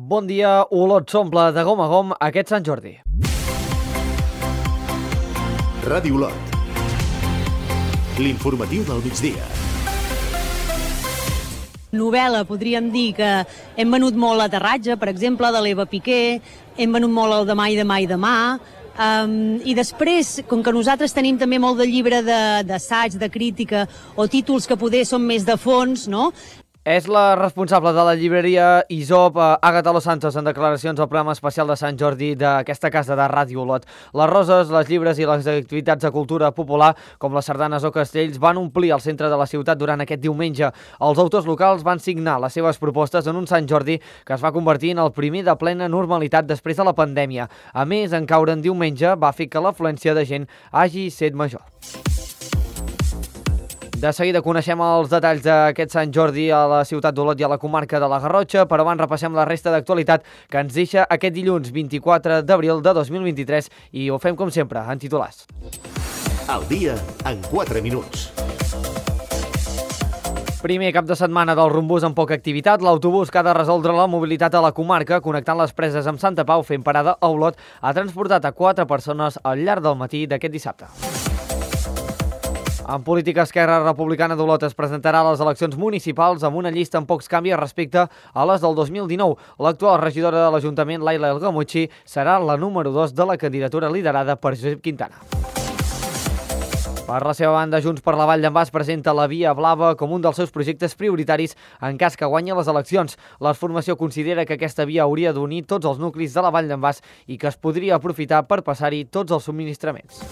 Bon dia, Olot s'omple de gom a gom aquest Sant Jordi. Ràdio Olot. L'informatiu del migdia. Novel·la, podríem dir que hem venut molt l'Aterratge, per exemple, de l'Eva Piqué, hem venut molt el Demà i demà i demà, i després, com que nosaltres tenim també molt de llibre d'assaig, de crítica, o títols que poder són més de fons, no? És la responsable de la llibreria Isop, Àgata Los Santos, en declaracions al programa especial de Sant Jordi d'aquesta casa de Ràdio Olot. Les roses, les llibres i les activitats de cultura popular, com les sardanes o castells, van omplir el centre de la ciutat durant aquest diumenge. Els autors locals van signar les seves propostes en un Sant Jordi que es va convertir en el primer de plena normalitat després de la pandèmia. A més, en caure en diumenge va fer que l'afluència de gent hagi set major. De seguida coneixem els detalls d'aquest Sant Jordi a la ciutat d'Olot i a la comarca de la Garrotxa, però abans repassem la resta d'actualitat que ens deixa aquest dilluns 24 d'abril de 2023 i ho fem com sempre, en titulars. El dia en 4 minuts. Primer cap de setmana del rumbús amb poca activitat, l'autobús que ha de resoldre la mobilitat a la comarca, connectant les preses amb Santa Pau fent parada a Olot, ha transportat a 4 persones al llarg del matí d'aquest dissabte. En política, Esquerra Republicana d'Olot es presentarà a les eleccions municipals amb una llista amb pocs canvis respecte a les del 2019. L'actual regidora de l'Ajuntament, Laila Elgamuchi, serà la número 2 de la candidatura liderada per Josep Quintana. Per la seva banda, Junts per la Vall d'en Bas presenta la Via Blava com un dels seus projectes prioritaris en cas que guanyi les eleccions. La formació considera que aquesta via hauria d'unir tots els nuclis de la Vall d'en Bas i que es podria aprofitar per passar-hi tots els subministraments.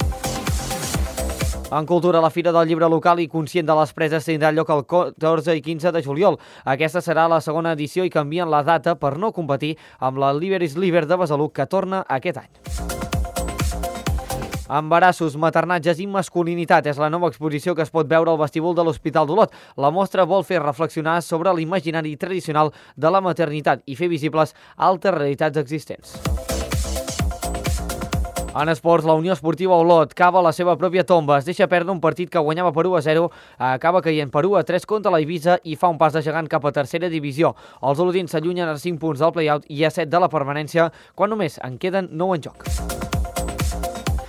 En cultura, la Fira del Llibre Local i Conscient de les Preses tindrà lloc el 14 i 15 de juliol. Aquesta serà la segona edició i canvien la data per no competir amb la Liberis Liber de Besalú, que torna aquest any. Embarassos, maternatges i masculinitat és la nova exposició que es pot veure al vestíbul de l'Hospital d'Olot. La mostra vol fer reflexionar sobre l'imaginari tradicional de la maternitat i fer visibles altres realitats existents. En esports, la Unió Esportiva Olot cava la seva pròpia tomba. Es deixa perdre un partit que guanyava per 1-0, acaba caient per 1-3 contra la Eivissa i fa un pas de gegant cap a tercera divisió. Els olotins s'allunyen a 5 punts del play-out i a 7 de la permanència, quan només en queden 9 en joc.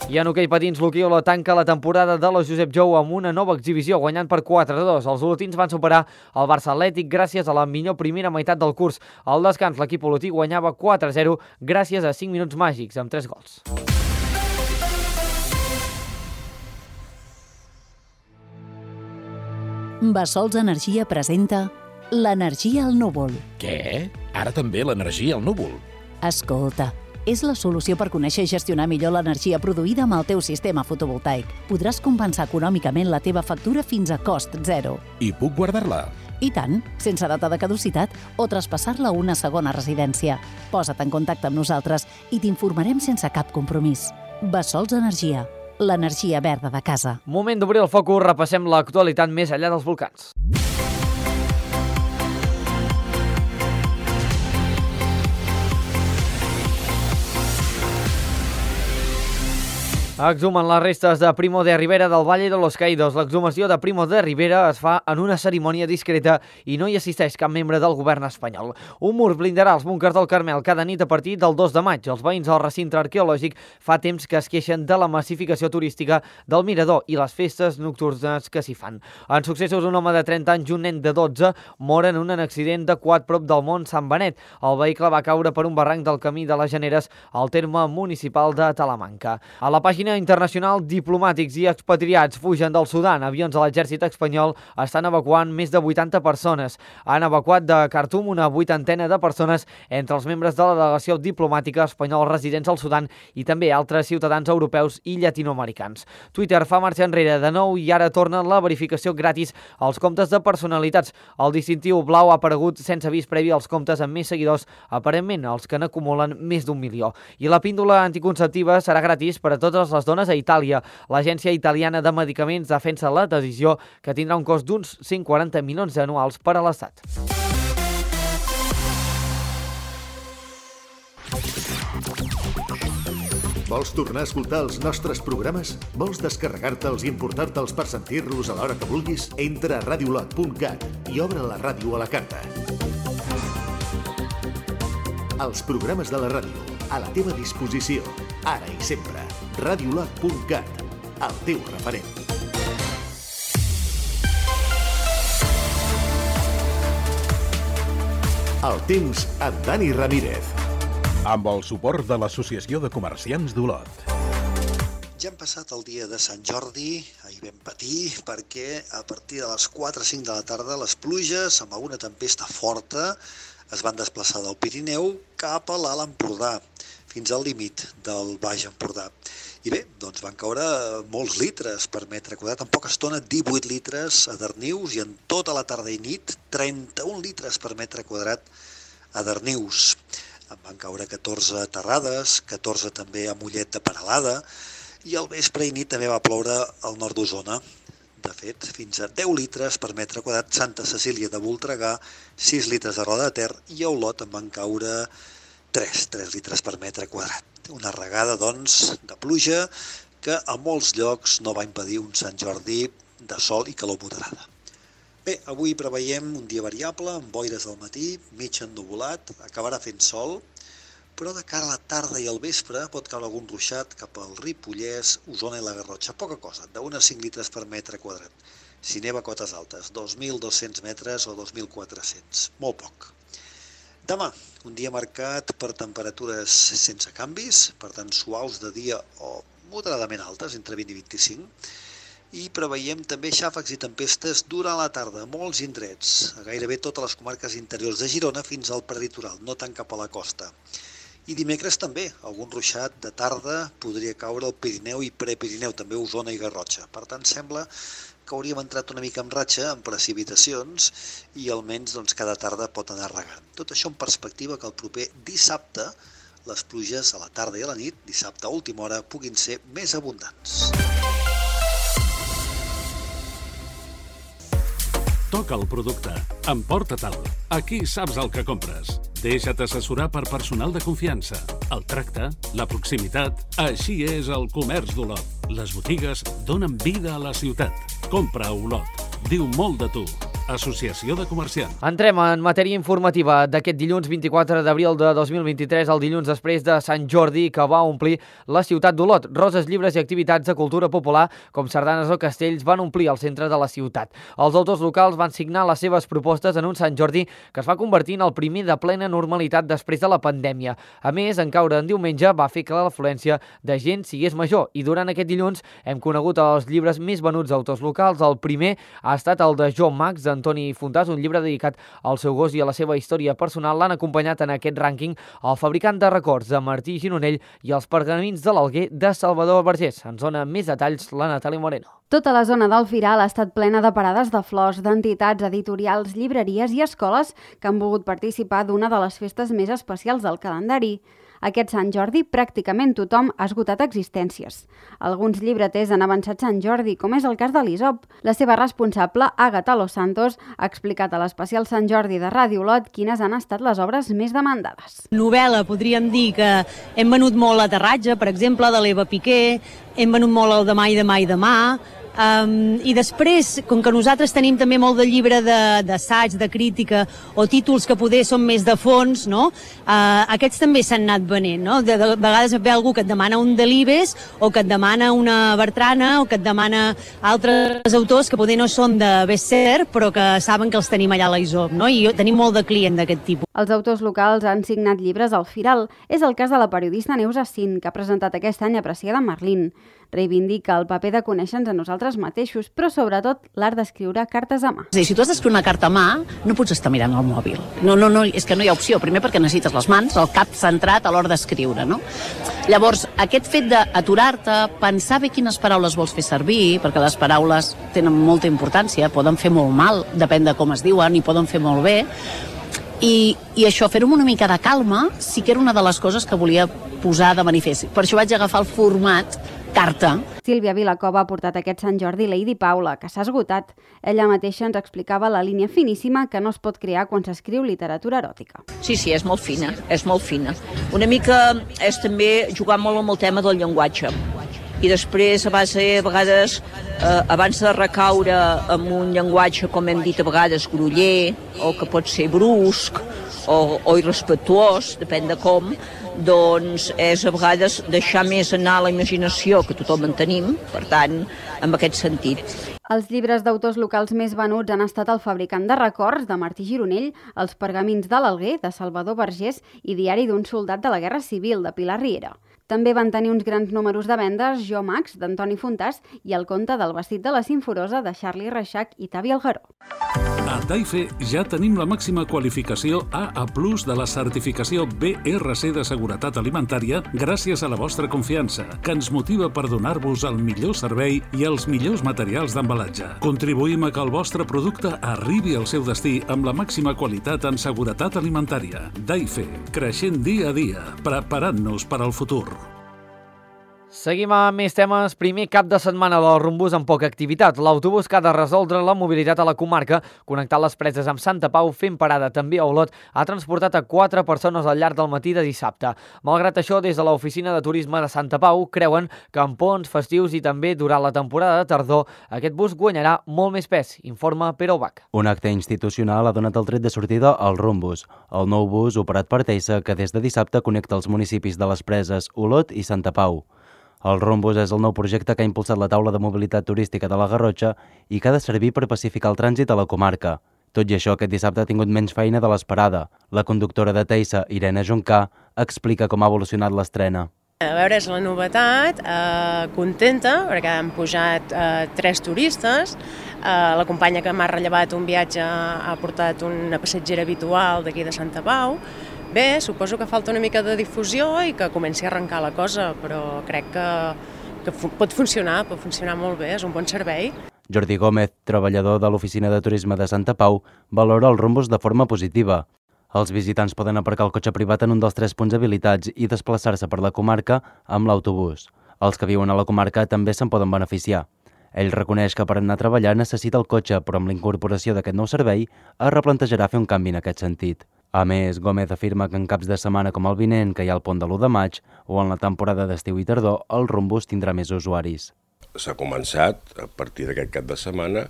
I en hoquei patins, l'Hoquei Olot tanca la temporada de la Josep Jou amb una nova exhibició, guanyant per 4-2. Els olotins van superar el Barça Atlètic gràcies a la millor primera meitat del curs. Al descans, l'equip olotí guanyava 4-0 gràcies a 5 minuts màgics amb 3 gols. Bassols Energia presenta l'energia al núvol. Què? Ara també l'energia al núvol? Escolta, és la solució per conèixer i gestionar millor l'energia produïda amb el teu sistema fotovoltaic. Podràs compensar econòmicament la teva factura fins a cost zero. I puc guardar-la? I tant, sense data de caducitat o traspassar-la a una segona residència. Posa't en contacte amb nosaltres i t'informarem sense cap compromís. Bassols Energia, l'energia verda de casa. Moment d'obrir el focus, repassem l'actualitat més enllà dels volcans. Exhumen les restes de Primo de Rivera del Valle de los Caídos. L'exhumació de Primo de Rivera es fa en una cerimònia discreta i no hi assisteix cap membre del govern espanyol. Un mur blindarà els búnquers del Carmel cada nit a partir del 2 de maig. Els veïns del recinte arqueològic fa temps que es queixen de la massificació turística del mirador i les festes nocturnes que s'hi fan. En successos, un home de 30 anys i un nen de 12 moren en un accident de quad prop del Mont Sant Benet. El vehicle va caure per un barranc del camí de les Generes al terme municipal de Talamanca. A la pàgina internacional, diplomàtics i expatriats fugen del Sudan. Avions de l'exèrcit espanyol estan evacuant més de 80 persones. Han evacuat de Khartoum una 80ena de persones entre els membres de la delegació diplomàtica espanyola residents al Sudan i també altres ciutadans europeus i llatinoamericans. Twitter fa marxa enrere de nou i ara torna la verificació gratis als comptes de personalitats. El distintiu blau ha aparegut sense avís previ als comptes amb més seguidors, aparentment els que n'acumulen més d'1 milió. I la píndola anticonceptiva serà gratis per a totes les dones a Itàlia. L'Agència Italiana de Medicaments defensa la decisió, que tindrà un cost d'uns 140 milions anuals per a l'Estat. Vols tornar a escoltar els nostres programes? Vols descarregar-te'ls i importar-te'ls per sentir-los a l'hora que vulguis? Entra a radiolot.cat i obre la ràdio a la carta. Els programes de la ràdio, a la teva disposició, ara i sempre. Radiolot.cat, el teu referent. El temps amb Dani Ramírez. Amb el suport de l'Associació de Comerciants d'Olot. Ja hem passat el dia de Sant Jordi, ahir vam patir, perquè a partir de les 4 o 5 de la tarda les pluges, amb alguna tempesta forta, es van desplaçar del Pirineu cap a l'Alt Empordà, fins al límit del Baix Empordà. I bé, doncs van caure molts litres per metre quadrat, en poca estona 18 litres a Darnius i en tota la tarda i nit 31 litres per metre quadrat a Darnius. En van caure 14 a Terrades, 14 també a Mollet de Peralada, i al vespre i nit també va ploure al nord d'Osona. De fet, fins a 10 litres per metre quadrat, Santa Cecília de Voltregà, 6 litres a Roda de Ter, i a Olot en van caure 3 litres per metre quadrat. Una regada, doncs, de pluja que a molts llocs no va impedir un Sant Jordi de sol i calor moderada. Bé, avui preveiem un dia variable, amb boires al matí, mig ennuvolat, acabarà fent sol, però de cara a la tarda i al vespre pot caure algun ruixat cap al Ripollès, Osona i la Garrotxa. Poca cosa, de 1 a 5 litres per metre quadrat. Si neva a cotes altes, 2.200 metres o 2.400, molt poc. Demà, un dia marcat per temperatures sense canvis, per tant suaus de dia o moderadament altes, entre 20 i 25, i preveiem també xàfecs i tempestes durant la tarda a molts indrets, a gairebé totes les comarques interiors de Girona fins al prelitoral, no tant cap a la costa. I dimecres també, algun ruixat de tarda podria caure al Pirineu i Prepirineu, també Osona i Garrotxa. Per tant, sembla que hauríem entrat una mica en ratxa, en precipitacions, i almenys cada tarda pot anar regant. Tot això en perspectiva que el proper dissabte les pluges a la tarda i a la nit, dissabte a última hora, puguin ser més abundants. Toca el producte. Emporta-te'l. Aquí saps el que compres. Deixa't assessorar per personal de confiança. El tracte, la proximitat... Així és el comerç d'Olot. Les botigues donen vida a la ciutat. Compra a Olot. Diu molt de tu. Associació de Comerciants. Entrem en matèria informativa d'aquest dilluns 24 d'abril de 2023, el dilluns després de Sant Jordi, que va omplir la ciutat d'Olot. Roses, llibres i activitats de cultura popular, com sardanes o castells, van omplir el centre de la ciutat. Els autors locals van signar les seves propostes en un Sant Jordi que es va convertir en el primer de plena normalitat després de la pandèmia. A més, en caure en diumenge va fer que l'afluència de gent sigués major, i durant aquest dilluns hem conegut els llibres més venuts d'autors locals. El primer ha estat el de Jo Max, Antoni Fontàs, un llibre dedicat al seu gos i a la seva història personal. L'han acompanyat en aquest rànquing el fabricant de records de Martí Gironell i els pergamins de l'Alguer de Salvador Vergés. Ens dona més detalls la Natàlia Moreno. Tota la zona del Firal ha estat plena de parades de flors, d'entitats, editorials, llibreries i escoles que han volgut participar d'una de les festes més especials del calendari. Aquest Sant Jordi pràcticament tothom ha esgotat existències. Alguns llibreters han avançat Sant Jordi, com és el cas de l'Isop. La seva responsable, Àgata Los Santos, ha explicat a l'especial Sant Jordi de Ràdio Olot quines han estat les obres més demandades. Novel·la, podríem dir que hem venut molt l'aterratge, per exemple, de l'Eva Piqué, hem venut molt el demà i demà i demà, i després, com que nosaltres tenim també molt de llibre d'assaig, de crítica, o títols que poder són més de fons, no? Aquests també s'han anat venent, no? De vegades ve algú que et demana un Delibes, o que et demana una Bertrana, o que et demana altres autors que poder no són de bestseller, però que saben que els tenim allà a l'Isop, no? I tenim molt de client d'aquest tipus. Els autors locals han signat llibres al Firal. És el cas de la periodista Neus Assin, que ha presentat aquest any Apreciada Merlín. Reivindica el paper de conèixer-nos a nosaltres mateixos, però sobretot l'art d'escriure cartes a mà. Si tu has d'escriure una carta a mà, no pots estar mirant el mòbil. No, és que no hi ha opció. Primer perquè necessites les mans, el cap centrat a l'hora d'escriure, no? Llavors, aquest fet d'aturar-te, pensar bé quines paraules vols fer servir, perquè les paraules tenen molta importància, poden fer molt mal, depèn de com es diuen, i poden fer molt bé, i això, fer-ho amb una mica de calma, sí que era una de les coses que volia posar de manifest. Per això vaig agafar el format carta. Sílvia Vilacova ha portat aquest Sant Jordi Lady Paula, que s'ha esgotat. Ella mateixa ens explicava la línia finíssima que no es pot crear quan s'escriu literatura eròtica. Sí, és molt fina, és molt fina. Una mica és també jugar molt amb el tema del llenguatge. I després, a vegades, abans de recaure en un llenguatge, com hem dit a vegades, groller, o que pot ser brusc, o irrespectuós, depèn de com, doncs és a vegades deixar més anar la imaginació, que tothom en tenim, per tant, en aquest sentit. Els llibres d'autors locals més venuts han estat El fabricant de records, de Martí Gironell, Els pergamins de l'Alguer, de Salvador Vergés, i Diari d'un soldat de la Guerra Civil, de Pilar Riera. També van tenir uns grans números de vendes Jo Max, d'Antoni Fontàs, i El conte del vestit de la Simforosa, de Charlie Reixac i Tavi Algaró. A Taife ja tenim la màxima qualificació AA+ de la certificació BRC de seguretat alimentària gràcies a la vostra confiança, que ens motiva per donar-vos el millor servei i els millors materials d'embalatge. Contribuïm a que el vostre producte arribi al seu destí amb la màxima qualitat en seguretat alimentària. Taife, creixent dia a dia, preparant-nos per al futur. Seguim amb més temes. Primer cap de setmana del Rumbús amb poca activitat. L'autobús que ha de resoldre la mobilitat a la comarca, connectant les preses amb Santa Pau, fent parada també a Olot, ha transportat a 4 persones al llarg del matí de dissabte. Malgrat això, des de l'Oficina de Turisme de Santa Pau creuen que en ponts, festius i també durant la temporada de tardor, aquest bus guanyarà molt més pes, informa Pere Ubach. Un acte institucional ha donat el tret de sortida al Rumbús, el nou bus operat per Teisa que des de dissabte connecta els municipis de les preses Olot i Santa Pau. El Rumbús és el nou projecte que ha impulsat la taula de mobilitat turística de la Garrotxa i que ha de servir per pacificar el trànsit a la comarca. Tot i això, aquest dissabte ha tingut menys feina de l'esperada. La conductora de Teisa, Irene Juncà, explica com ha evolucionat l'estrena. A veure, és la novetat, contenta, perquè han pujat 3 turistes. La companya que m'ha rellevat un viatge ha portat una passatgera habitual d'aquí de Santa Pau. Bé, suposo que falta una mica de difusió i que comenci a arrencar la cosa, però crec que pot funcionar molt bé, és un bon servei. Jordi Gómez, treballador de l'Oficina de Turisme de Santa Pau, valora el Rumbús de forma positiva. Els visitants poden aparcar el cotxe privat en un dels 3 punts habilitats i desplaçar-se per la comarca amb l'autobús. Els que viuen a la comarca també se'n poden beneficiar. Ell reconeix que per anar a treballar necessita el cotxe, però amb la incorporació d'aquest nou servei es replantejarà fer un canvi en aquest sentit. A més, Gómez afirma que en caps de setmana com el vinent, que hi ha el pont de l'1 de maig, o en la temporada d'estiu i tardor, el Rumbús tindrà més usuaris. S'ha començat a partir d'aquest cap de setmana,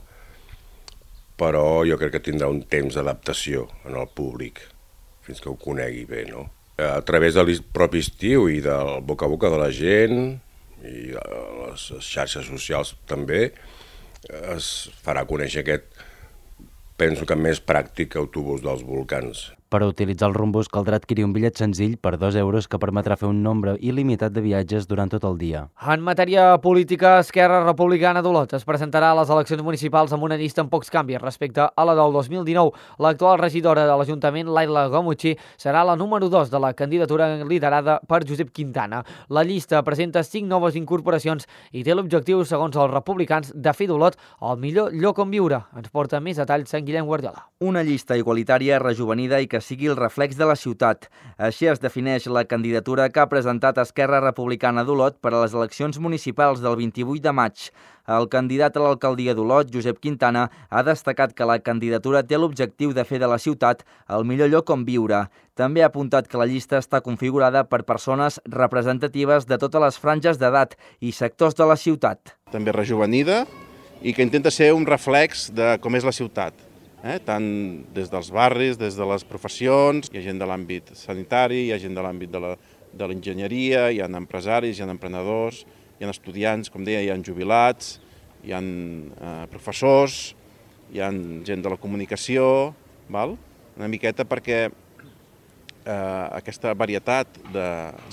però jo crec que tindrà un temps d'adaptació en el públic, fins que ho conegui bé, no? A través del propi estiu i del boca a boca de la gent i les xarxes socials també, es farà conèixer aquest, penso que més pràctic, autobús dels volcans. Per utilitzar el Rumbús caldrà adquirir un bitllet senzill per 2 euros que permetrà fer un nombre il·limitat de viatges durant tot el dia. En matèria política, Esquerra Republicana d'Olot es presentarà a les eleccions municipals amb una llista amb pocs canvis respecte a la del 2019. L'actual regidora de l'Ajuntament, Laila Gamucci, serà la número 2 de la candidatura liderada per Josep Quintana. La llista presenta 5 noves incorporacions i té l'objectiu, segons els republicans, de fer d'Olot el millor lloc on viure. Ens porta més detalls Sant Guillem Guardiola. Una llista igualitària, rejovenida i que sigui el reflex de la ciutat. Així es defineix la candidatura que ha presentat Esquerra Republicana d'Olot per a les eleccions municipals del 28 de maig. El candidat a l'alcaldia d'Olot, Josep Quintana, ha destacat que la candidatura té l'objectiu de fer de la ciutat el millor lloc on viure. També ha apuntat que la llista està configurada per persones representatives de totes les franges d'edat i sectors de la ciutat. També rejovenida i que intenta ser un reflex de com és la ciutat. Tant des dels barris, des de les professions, hi ha gent de l'àmbit sanitari, hi ha gent de l'àmbit de l'enginyeria, hi ha empresaris, hi ha emprenedors, hi ha estudiants, com deia, hi ha jubilats, hi ha professors, hi ha gent de la comunicació, una miqueta perquè aquesta varietat de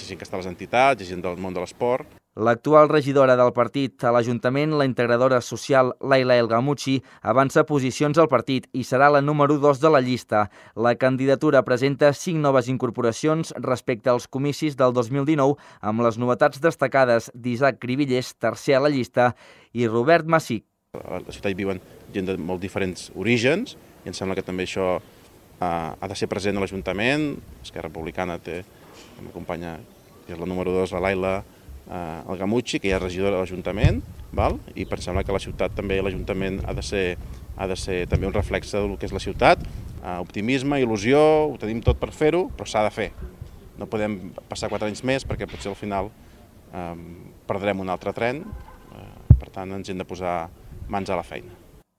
gent que està a les entitats, hi ha gent del món de l'esport. L'actual regidora del partit a l'Ajuntament, la integradora social Laila El Gamucci, avança posicions al partit i serà la número 2 de la llista. La candidatura presenta 5 noves incorporacions respecte als comicis del 2019, amb les novetats destacades d'Isaac Cribillers, tercer a la llista, i Robert Massic. A la ciutat hi viuen gent de molt diferents orígens i em sembla que també això ha de ser present a l'Ajuntament. Esquerra Republicana té una companya que és la número 2, la Laila El Gamucci, que ja és regidora de l'Ajuntament, i em sembla que la ciutat també, l'Ajuntament ha de ser també un reflex del que és la ciutat. Optimisme, il·lusió, ho tenim tot per fer-ho, però s'ha de fer. No podem passar 4 anys més perquè potser al final perdrem un altre tren, per tant ens hem de posar mans a la feina.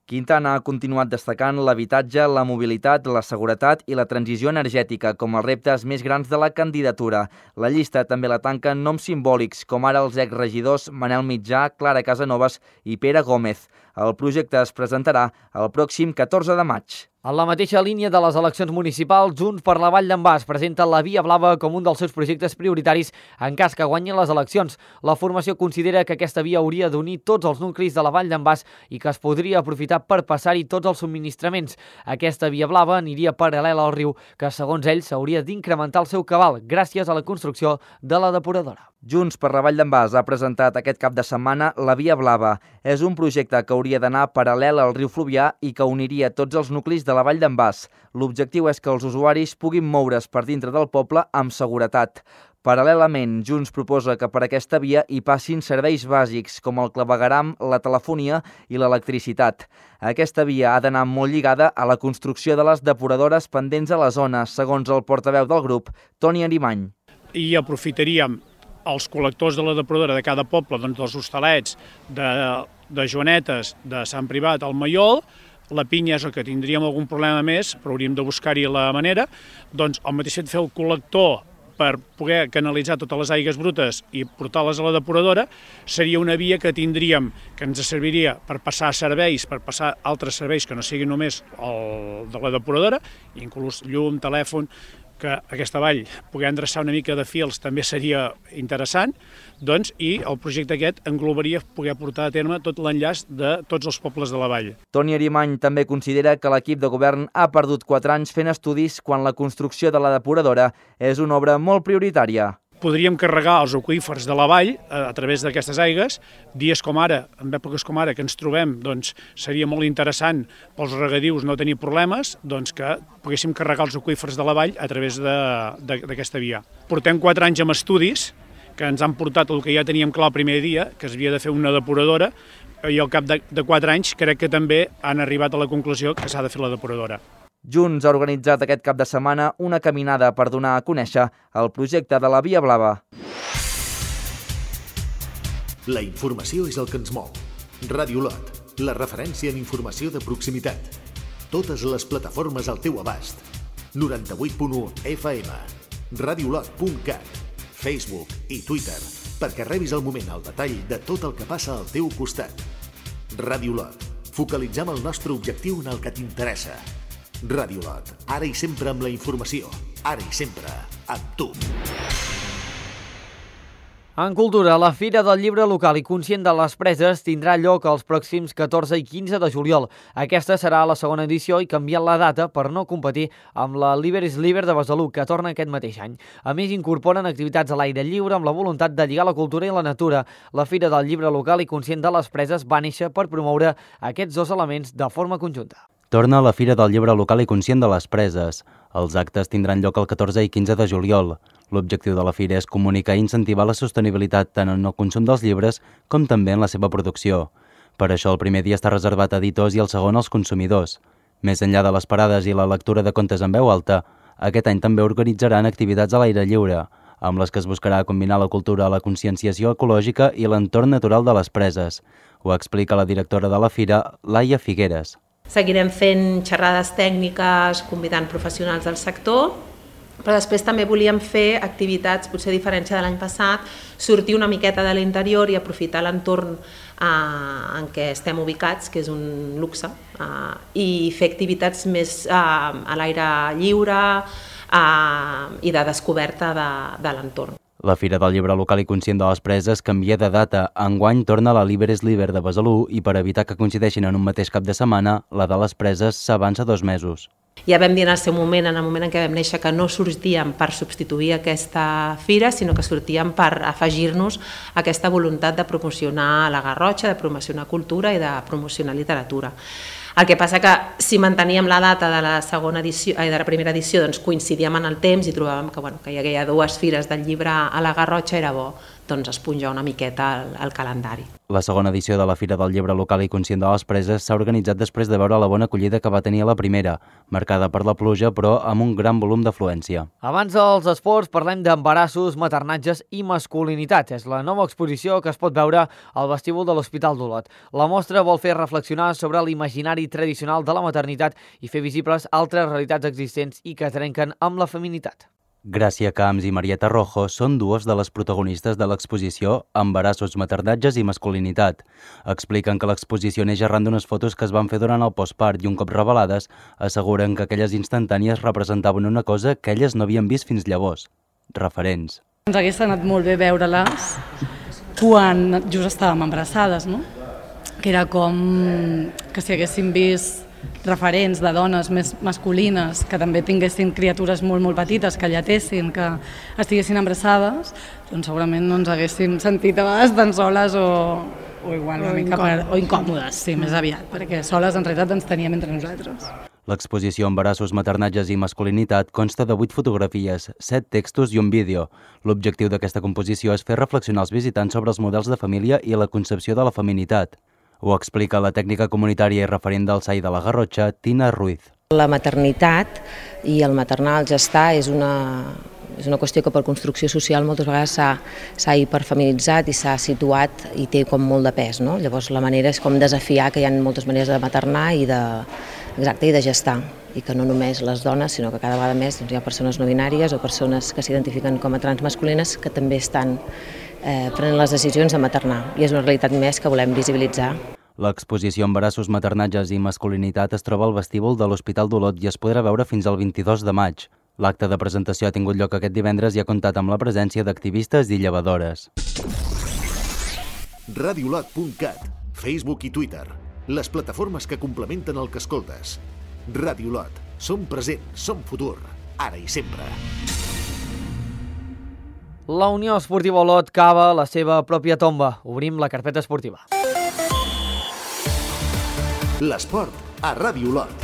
Quintana ha continuat destacant l'habitatge, la mobilitat, la seguretat i la transició energètica com els reptes més grans de la candidatura. La llista també la tanquen noms simbòlics, com ara els exregidors Manel Mitjà, Clara Casanovas i Pere Gómez. El projecte es presentarà el pròxim 14 de maig. En la mateixa línia de les eleccions municipals, Junts per la Vall d'en Bas presenta la Via Blava com un dels seus projectes prioritaris en cas que guanyin les eleccions. La formació considera que aquesta via hauria d'unir tots els nuclis de la Vall d'en Bas i que es podria aprofitar per passar-hi tots els subministraments. Aquesta Via Blava aniria paral·lela al riu, que segons ells s'hauria d'incrementar el seu cabal gràcies a la construcció de la depuradora. Junts per la Vall d'en Bas ha presentat aquest cap de setmana la Via Blava. És un projecte que hauria d'anar paral·lel al riu Fluvià i que uniria tots els nuclis de la Vall d'en Bas. L'objectiu és que els usuaris puguin moure's per dintre del poble amb seguretat. Paral·lelament, Junts proposa que per aquesta via hi passin serveis bàsics com el clavegueram, la telefonia i l'electricitat. Aquesta via ha d'anar molt lligada a la construcció de les depuradores pendents a la zona, segons el portaveu del grup, Toni Arimany. I aprofitaríem els col·lectors de la depuradora de cada poble, doncs dels Hostalets, de Joanetes, de Sant Privat, al Maiol. La Pinya és el que tindríem algun problema més, però hauríem de buscar-hi la manera. Doncs el mateix fet de fer el col·lector per poder canalitzar totes les aigües brutes i portar-les a la depuradora, seria una via que tindríem, que ens serviria per passar serveis, per passar altres serveis que no siguin només el de la depuradora, inclús llum, telèfon, que aquesta vall poder endreçar una mica de fils també seria interessant, doncs, i el projecte aquest englobaria poder portar a terme tot l'enllaç de tots els pobles de la vall. Toni Arimany també considera que l'equip de govern ha perdut 4 anys fent estudis quan la construcció de la depuradora és una obra molt prioritària. Podríem carregar els aqüífers de la vall a través d'aquestes aigües. Dies com ara, en èpoques com ara que ens trobem, doncs seria molt interessant pels regadius no tenir problemes, doncs que poguéssim carregar els aqüífers de la vall a través d'aquesta via. Portem 4 anys amb estudis que ens han portat el que ja teníem clar el primer dia, que es havia de fer una depuradora, i al cap de 4 anys crec que també han arribat a la conclusió que s'ha de fer la depuradora. Junts ha organitzat aquest cap de setmana una caminada per donar a conèixer el projecte de la Via Blava. La informació és el que ens mou. Ràdio Lot, la referència en informació de proximitat. Totes les plataformes al teu abast. 98.1 FM, radiolot.cat, Facebook i Twitter, perquè rebis al moment el detall de tot el que passa al teu costat. Ràdio Lot, focalitzem el nostre objectiu en el que t'interessa. Ràdio Lot, ara i sempre amb la informació, ara i sempre amb tu. En cultura, la Fira del Llibre Local i Conscient de les Preses tindrà lloc els pròxims 14 i 15 de juliol. Aquesta serà la segona edició i canviant la data per no competir amb la Liber is Liber de Besalú, que torna aquest mateix any. A més, incorporen activitats a l'aire lliure amb la voluntat de lligar la cultura i la natura. La Fira del Llibre Local i Conscient de les Preses va néixer per promoure aquests dos elements de forma conjunta. Torna a la Fira del Llibre Local i Conscient de les Preses. Els actes tindran lloc el 14 i 15 de juliol. L'objectiu de la fira és comunicar i incentivar la sostenibilitat tant en el consum dels llibres com també en la seva producció. Per això el primer dia està reservat a editors i el segon als consumidors. Més enllà de les parades i la lectura de contes en veu alta, aquest any també organitzaran activitats a l'aire lliure, amb les que es buscarà combinar la cultura, la conscienciació ecològica i l'entorn natural de les preses. Ho explica la directora de la fira, Laia Figueres. Seguirem fent xerrades tècniques, convidant professionals del sector, però després també volíem fer activitats, potser a diferència de l'any passat, sortir una miqueta de l'interior i aprofitar l'entorn en què estem ubicats, que és un luxe, i fer activitats més a l'aire lliure i de descoberta de l'entorn. La Fira del Llibre Local i Conscient de les Preses canvia de data. Enguany torna a la Liber is Liber de Besalú i per evitar que coincideixin en un mateix cap de setmana, la de les Preses s'avança 2 mesos. Ja vam dir en el seu moment, en el moment en què vam néixer, que no sortíem per substituir aquesta fira, sinó que sortíem per afegir-nos a aquesta voluntat de promocionar la Garrotxa, de promocionar cultura i de promocionar literatura. El que passa que si manteníem la data de la segona edició, de la primera edició, doncs coincidíem en el temps i trobàvem que, que hi havia 2 fires del llibre a la Garrotxa, era bo esponjar una miqueta el calendari. La segona edició de la Fira del Llibre Local i Conscient de les Preses s'ha organitzat després de veure la bona acollida que va tenir a la primera, marcada per la pluja però amb un gran volum d'afluència. Abans dels esports parlem d'embarassos, maternatges i masculinitat. És la nova exposició que es pot veure al vestíbul de l'Hospital d'Olot. La mostra vol fer reflexionar sobre l'imaginari tradicional de la maternitat i fer visibles altres realitats existents i que trenquen amb la feminitat. Gràcia Camps i Marieta Rojo són dues de les protagonistes de l'exposició Embarassos, maternatges i masculinitat. Expliquen que l'exposició neix arran d'unes fotos que es van fer durant el postpart i un cop revelades asseguren que aquelles instantànies representaven una cosa que elles no havien vist fins llavors. Referents. Ens hagués anat molt bé veure-les quan just estàvem embarassades, no? Que era com que si haguéssim vist referents de dones més masculines que també tinguessin criatures molt petites, que lletessin, que estiguessin embarassades, doncs segurament no ens haguéssim sentit a vegades tan soles o igual una mica o incòmodes, sí, més aviat, perquè soles en realitat ens teníem entre nosaltres. L'exposició Embarassos, maternatges i masculinitat consta de 8 fotografies, 7 textos i un vídeo. L'objectiu d'aquesta composició és fer reflexionar els visitants sobre els models de família i la concepció de la feminitat. Ho explica la tècnica comunitària i referent del SAI de la Garrotxa, Tina Ruiz. La maternitat i el maternar, el gestar, és una qüestió que per construcció social moltes vegades s'ha hiperfeminitzat i s'ha situat i té com molt de pes, no? Llavors la manera és com desafiar que hi ha moltes maneres de maternar i de gestar, i que no només les dones, sinó que cada vegada més hi ha persones no binàries o persones que s'identifiquen com a transmasculines que també estan prenent les decisions de maternar, i és una realitat més que volem visibilitzar. L'exposició Embarassos, maternatges i masculinitat es troba al vestíbul de l'Hospital d'Olot i es podrà veure fins al 22 de maig. L'acte de presentació ha tingut lloc aquest divendres i ha comptat amb la presència d'activistes i llevadores. Radiolot.cat, Facebook i Twitter, les plataformes que complementen el que escoltes. Radiolot, som present, som futur, ara i sempre. La Unió Esportiva Olot cava la seva pròpia tomba. Obrim la carpeta esportiva. L'esport a Ràdio Olot.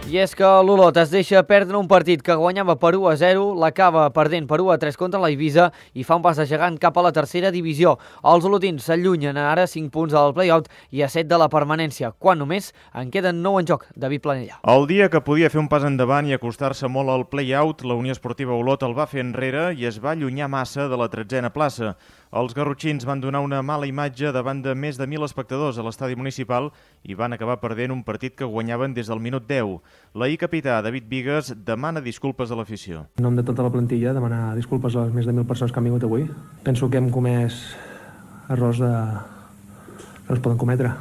I és que l'Olot es deixa perdre un partit que guanyava per 1-0, l'acaba perdent per 1-3 contra la Eivissa i fa un pas de gegant cap a la tercera divisió. Els olotins s'allunyen ara 5 punts al play-out i a 7 de la permanència, quan només en queden 9 en joc. David Planella. El dia que podia fer un pas endavant i acostar-se molt al play-out, la Unió Esportiva Olot el va fer enrere i es va allunyar massa de la 13a plaça. Els garrotxins van donar una mala imatge davant de més de 1.000 espectadors a l'estadi municipal i van acabar perdent un partit que guanyaven des del minut 10. L'ahir capità, David Bigues, demana disculpes a l'afició. En nom de tota la plantilla, demanar disculpes a les més de 1.000 persones que han vingut avui. Penso que hem comès errors que no es poden cometre.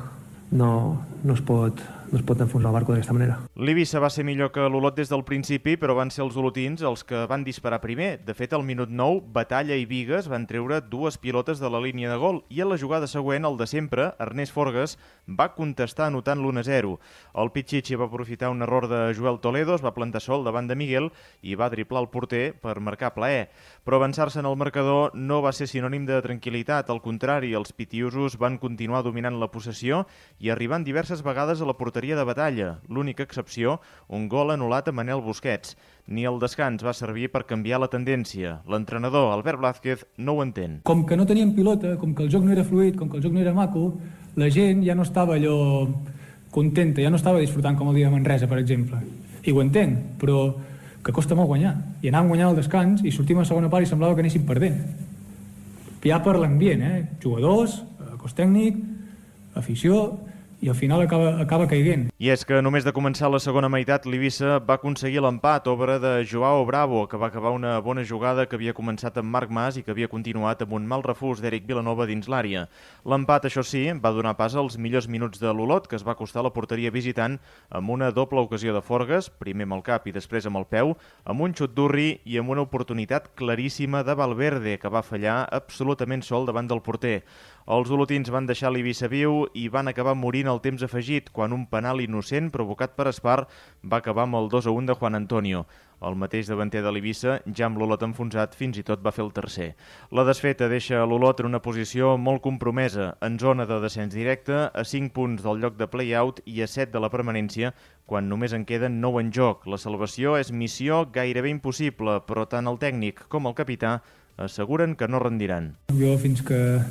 No es pot enfonsar el barco d'aquesta manera. L'Eivissa va ser millor que l'Olot des del principi, però van ser els olotins els que van disparar primer. De fet, al minut 9, Batalla i Bigues van treure 2 pilotes de la línia de gol i a la jugada següent, el de sempre, Ernest Forgues, va contestar anotant l'1-0. El Pichichi va aprofitar un error de Joel Toledo, es va plantar sol davant de Miguel i va driblar el porter per marcar plaer. Però avançar-se en el marcador no va ser sinònim de tranquil·litat. Al contrari, els pitiusos van continuar dominant la possessió i arribant diverses vegades a la porteria de Batalla. L'única excepció, un gol anul·lat a Manel Busquets. Ni el descans va servir per canviar la tendència. L'entrenador, Albert Blázquez, no ho entén. Com que no teníem pilota, com que el joc no era fluid, com que el joc no era maco, la gent ja no estava allò contenta, ja no estava disfrutant com el dia de Manresa, per exemple. I ho entenc, però que costa molt guanyar. I anàvem guanyant al descans i sortim a la segona part i semblava que anéssim perdent. Ja per l'ambient, jugadors, cos tècnic, afició, i al final acaba caiguent. I és que només de començar la segona meitat, l'Eivissa va aconseguir l'empat, obra de Joao Bravo, que va acabar una bona jugada que havia començat amb Marc Mas i que havia continuat amb un mal refús d'Eric Vilanova dins l'àrea. L'empat, això sí, va donar pas als millors minuts de l'Olot, que es va acostar a la porteria visitant amb una doble ocasió de Forgues, primer amb el cap i després amb el peu, amb un xut d'Urri i amb una oportunitat claríssima de Valverde, que va fallar absolutament sol davant del porter. Els olotins van deixar l'Eivissa viu i van acabar morint al temps afegit, quan un penal innocent provocat per Espar va acabar amb el 2-1 de Juan Antonio. El mateix davanter de l'Eivissa, ja amb l'Olot enfonsat, fins i tot va fer el tercer. La desfeta deixa l'Olot en una posició molt compromesa, en zona de descens directe, a 5 punts del lloc de play-out i a 7 de la permanència, quan només en queden 9 en joc. La salvació és missió gairebé impossible, però tant el tècnic com el capità asseguren que no rendiran. Jo fins que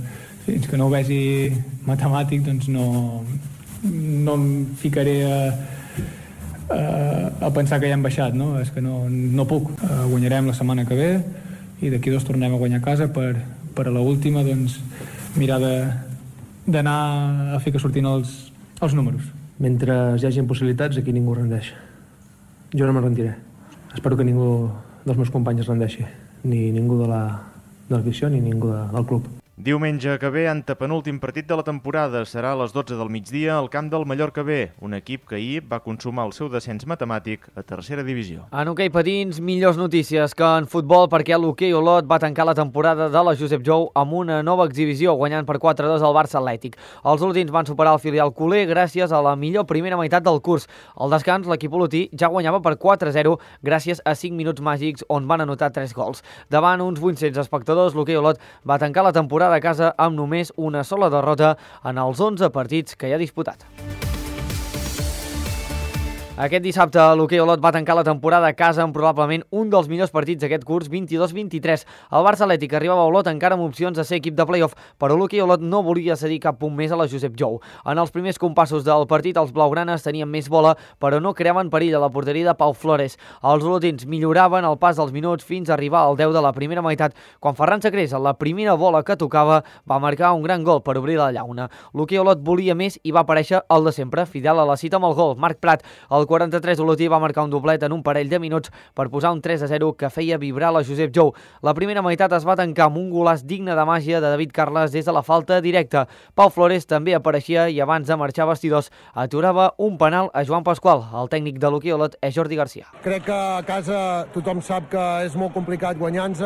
no ho vegi matemàtic doncs no em ficaré a pensar que ja hem baixat, no? És que no puc. Guanyarem la setmana que ve i d'aquí 2 tornem a guanyar a casa per a l'última doncs mirar d'anar a fer que surtin els números. Mentre hi hagi possibilitats, aquí ningú rendeix. Jo no me'n rendiré. Espero que ningú dels meus companys es rendeixi. Ni ningú de l'afició ni ningú del club. Diumenge que ve, antepenúltim partit de la temporada, serà a les 12 del migdia al camp del Mallorca B, un equip que ahir va consumar el seu descens matemàtic a tercera divisió. En hoquei patins, millors notícies que en futbol, perquè l'hoquei Olot va tancar la temporada de la Josep Jou amb una nova exhibició, guanyant per 4-2 al Barça Atlètic. Els olotins van superar el filial culer gràcies a la millor primera meitat del curs. Al descans, l'equip olotí ja guanyava per 4-0 gràcies a 5 minuts màgics on van anotar 3 gols. Davant uns 800 espectadors, l'hoquei Olot va tancar la temporada de casa amb només una sola derrota en els 11 partits que hi ha disputat. Aquest dissabte l'hoquei Olot va tancar la temporada a casa amb probablement un dels millors partits d'aquest curs 22-23. El Barça Atlètic arribava a Olot encara amb opcions de ser equip de play-off, però l'hoquei Olot no volia cedir cap punt més a la Josep Jou. En els primers compassos del partit els blaugranes tenien més bola, però no creaven perill a la porteria de Pau Flores. Els olotins milloraven el pas dels minuts fins a arribar al 10 de la primera meitat, quan Ferran Sacrés, a la primera bola que tocava, va marcar un gran gol per obrir la llauna. L'hoquei Olot volia més i va aparèixer el de sempre, fidel a la cita amb el gol. Marc Prat, el 43 olotí, va marcar un doblet en un parell de minuts per posar un 3-0 que feia vibrar la Josep Jou. La primera meitat es va tancar amb un golaç digne de màgia de David Carles des de la falta directa. Pau Flores també apareixia i abans de marxar a vestidors aturava un penal a Joan Pasqual. El tècnic de l'hoquei Olot és Jordi Garcia. Crec que a casa tothom sap que és molt complicat guanyar-nos,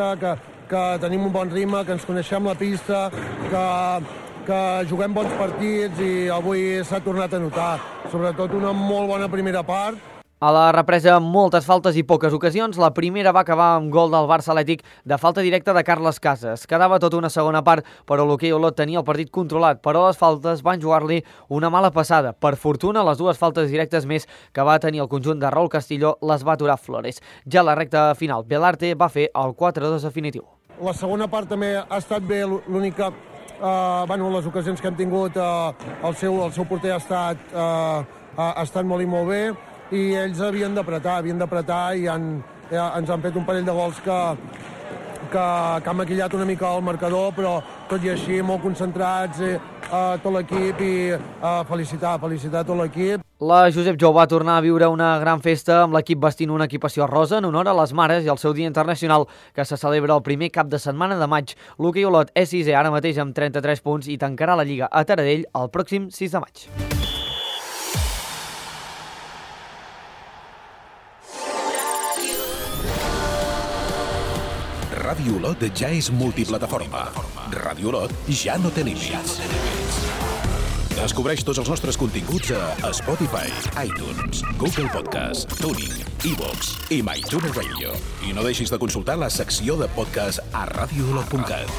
que tenim un bon ritme, que ens coneixem la pista, que juguem bons partits i avui s'ha tornat a notar. Sobretot una molt bona primera part. A la represa, moltes faltes i poques ocasions. La primera va acabar amb gol del Barça Atlètic de falta directa de Carles Casas. Quedava tota una segona part, però l'hoquei Olot tenia el partit controlat, però les faltes van jugar-li una mala passada. Per fortuna, les 2 faltes directes més que va tenir el conjunt de Raúl Castillo les va aturar Flores. Ja a la recta final, Belarte va fer el 4-2 definitiu. La segona part també ha estat bé, l'única... les ocasions que hem tingut, el seu porter ha estat molt i molt bé, i ells havien d'apretar i ens han fet un parell de gols que han maquillat una mica el marcador, però tot i així molt concentrats, tot l'equip, i felicitar tot l'equip. La Josep Jou va tornar a viure una gran festa amb l'equip vestint una equipació rosa en honor a les mares i al seu dia internacional, que se celebra el primer cap de setmana de maig. L'hoquei Olot és 6è ara mateix amb 33 punts i tancarà la Lliga a Taradell el pròxim 6 de maig. Ràdio Olot ja és multiplataforma. Ràdio Olot ja no té límits. Descobreix tots els nostres continguts a Spotify, iTunes, Google Podcast, TuneIn, iVoox i MyTuner Radio. I no deixis de consultar la secció de podcast a radioolot.cat.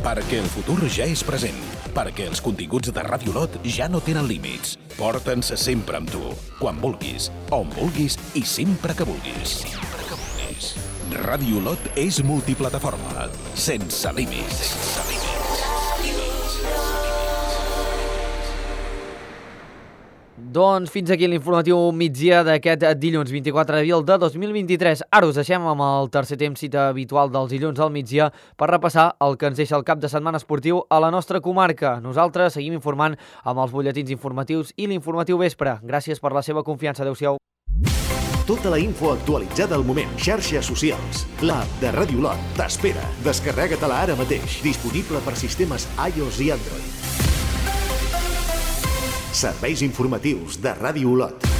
Perquè el futur ja és present. Perquè els continguts de Ràdio Olot ja no tenen límits. Porta'ns sempre amb tu, quan vulguis, on vulguis i sempre que vulguis. Ràdio Olot és multiplataforma, sense límits. Doncs fins aquí l'informatiu migdia d'aquest dilluns 24 d'abril de 2023. Ara us deixem amb el tercer temps, cita habitual dels dilluns al migdia, per repassar el que ens deixa el cap de setmana esportiu a la nostra comarca. Nosaltres seguim informant amb els butlletins informatius i l'informatiu vespre. Gràcies per la seva confiança. Adéu-siau. Tota la info actualitzada al moment. Xarxes socials. L'app de Ràdio Olot t'espera. Descarrega-te-la ara mateix. Disponible per sistemes iOS i Android. Serveis informatius de Ràdio Olot.